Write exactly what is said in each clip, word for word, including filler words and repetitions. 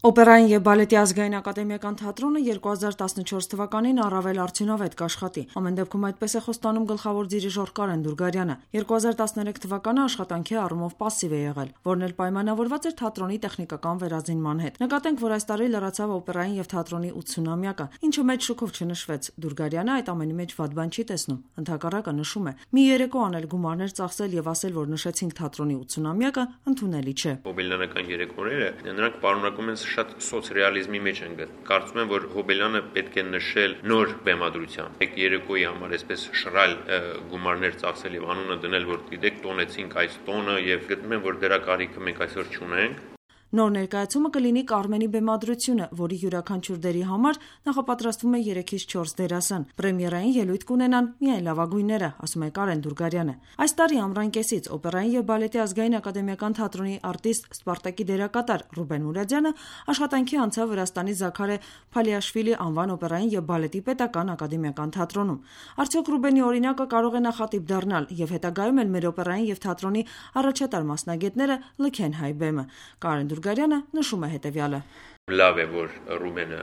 Օպերային և բալետի ազգային ակադեմիական թատրոնը երկու հազար տասնչորս թվականին առավել արդյունավետ կաշխատի։ Ամեն դեպքում այդպես է խոստանում գլխավոր դիրիժոր Կարեն Դուրգարյանը։ երկու հազար տասներեք թվականը աշխատանքի առումով պասիվ է եղել, որն էլ պայմանավորված էր թատրոնի տեխնիկական վերազինման հետ։ Նկատենք, որ այս տարի լրացավ օպերային և թատրոնի ութսունամյակը, ինչը մեծ շուկով չնշվեց։ Դուրգարյանը այդ ամենի մեջ վատ բան չի տեսնում, ընդհակառակը նշում է՝ մի երեկո անել գումարներ ծախսել եւ ասել, որ նշեցինք թատրոնի ութսունամյակը, ընդունելի չէ։ Հոբելյանական երեկոները նրանք պարունակում են շատ սոցրեալիզմի մեջ են գտ։ Կարծում եմ, որ Հոբելյանը պետք է նշել նոր բեմադրությամբ։ Եք երեկոյի համար այսպես շռայլ գումարներ ծախսել եւ անունը դնել, որ գիտեք տոնեցինք այս տոնը եւ գտնում եմ, որ դրա կարիքը մենք այսօր չունենք։ Նոր ներկայացումը կլինի Կարմենի բեմադրությունը, որի յուրաքանչյուր դերի համար նախապատրաստվում է երեքից չորս դերասան։ Պրեմիերային ելույթ կունենան միայն լավագույնները, ասում է Կարեն Դուրգարյանը։ Այս տարի ամռան կեսից օպերային և բալետի ազգային ակադեմիական թատրոնի արտիստ Սպարտակի դերակատար Ռուբեն Մուրադյանը աշխատանքի անցավ Վրաստանի Զաքարե Փալիաշվիլի անվան օպերային և բալետի պետական ակադեմիական թատրոնում։ Արդյոք Ռուբենի օրինակը կարող է նախատիպ դառնալ եւ հետագայում էլ մեր օպերային և թատրոնի առաջատար մասնագետները լքեն հայ բեմը։ Կարեն Դուրգարյանը նշում է հետևյալը. Լավ է, որ Ռուբենը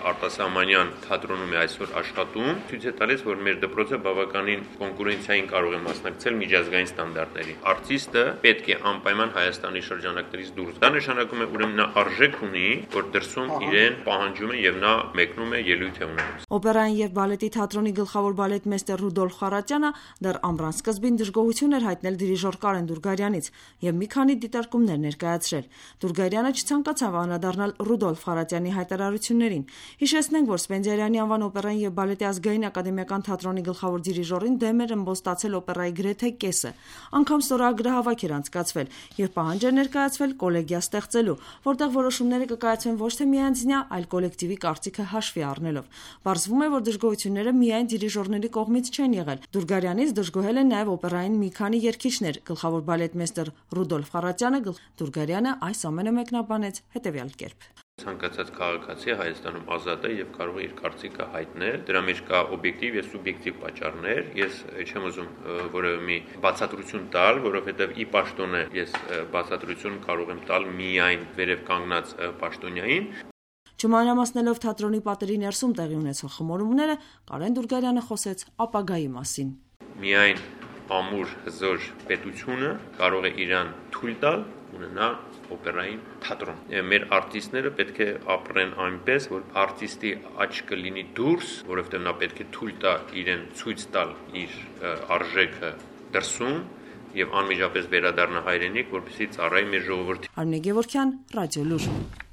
արտասահմանյան թատրոնում է այսօր աշխատում, ցույց է տալիս, որ մեր դպրոցը բավականին կոնկուրենցիային կարող է մասնակցել միջազգային ստանդարտների։ Արտիստը պետք է անպայման Հայաստանի շրջանակներից դուրս։ Դա նշանակում է, ուրեմն նա արժեք ունի, որ դրսում իրեն պահանջում են եւ նա մեկնում է ելույթ է ունենում։ Օպերային և բալետի թատրոնի գլխավոր բալետմեստեր Ռուդոլֆ Խարատյանը դեռ ամռան սկզբին դժգոհություն էր հայտնել դիրիժոր Կարեն Դուրգարյանից եւ մի քանի դիտարկումներ ներկայացրել։ Դուրգարյանը չցանկացավ անդրադառնալ Ռուդոլֆ Խարատյանի հայտարարություններին։ Հիշեցնենք, որ Սպենդիարյանի անվան օպերային և բալետի ազգային ակադեմիական թատրոնի գլխավոր դիրիժորին դեմ էր ըմբոստացել օպերայի գրեթե կեսը։ Անգամ ստորագրահավաք էր անցկացվել եւ պահանջ էր ներկայացվել կոլեգիա ստեղծելու, որտեղ որոշումները կկայացվեն ոչ թե միանձնյա, այլ կոլեկտիվի կարծիքը հաշվի առնելով։ Պարզվում է, որ դժգոհությունները միայն դիրիժորների կողմից չեն եղել։ Դուրգարյանից դժգոհել են նաեւ օպերային մի քանի երգիչներ։ Գլխավոր բալետմեստեր Ռուդոլֆ Խարատյանը Դուրգարյանը այս ամենը մեկնաբանեց հետևյալ կերպ. Ցանկացած քաղաքացի Հայաստանում ազատ է եւ կարող է իր կարծիքը հայտնել։ Դրա մեջ կա օբյեկտիվ եւ սուբյեկտիվ պատճառներ։ Ես չեմ ուզում որևէ մի բացատրություն տալ, որովհետեւ ի պաշտոնե ես բացատրություն կարող եմ տալ միայն վերև կանգնած պաշտոնյային։ Չմանրամասնելով թատրոնի պատերի ներսում տեղի ունեցող խմորումները, Կարեն Դուրգարյանը խոսեց ապագայի մասին։ Միայն ամուր հզոր պետությունը կարող է իրան թույլ տալ ունենա օպերային թատրոն։ Մեր արտիստները պետք է ապրեն այնպես, որ արտիստի աչքը լինի դուրս, որովհետև նա պետք է թույլ տա իրեն ցույց տալ իր արժեքը դրսում եւ անմիջապես վերադառնա հայրենիք, որպեսզի ծառայի մեր ժողովրդին։ Արմինե Գևորգյան, Ռադիո Լուր։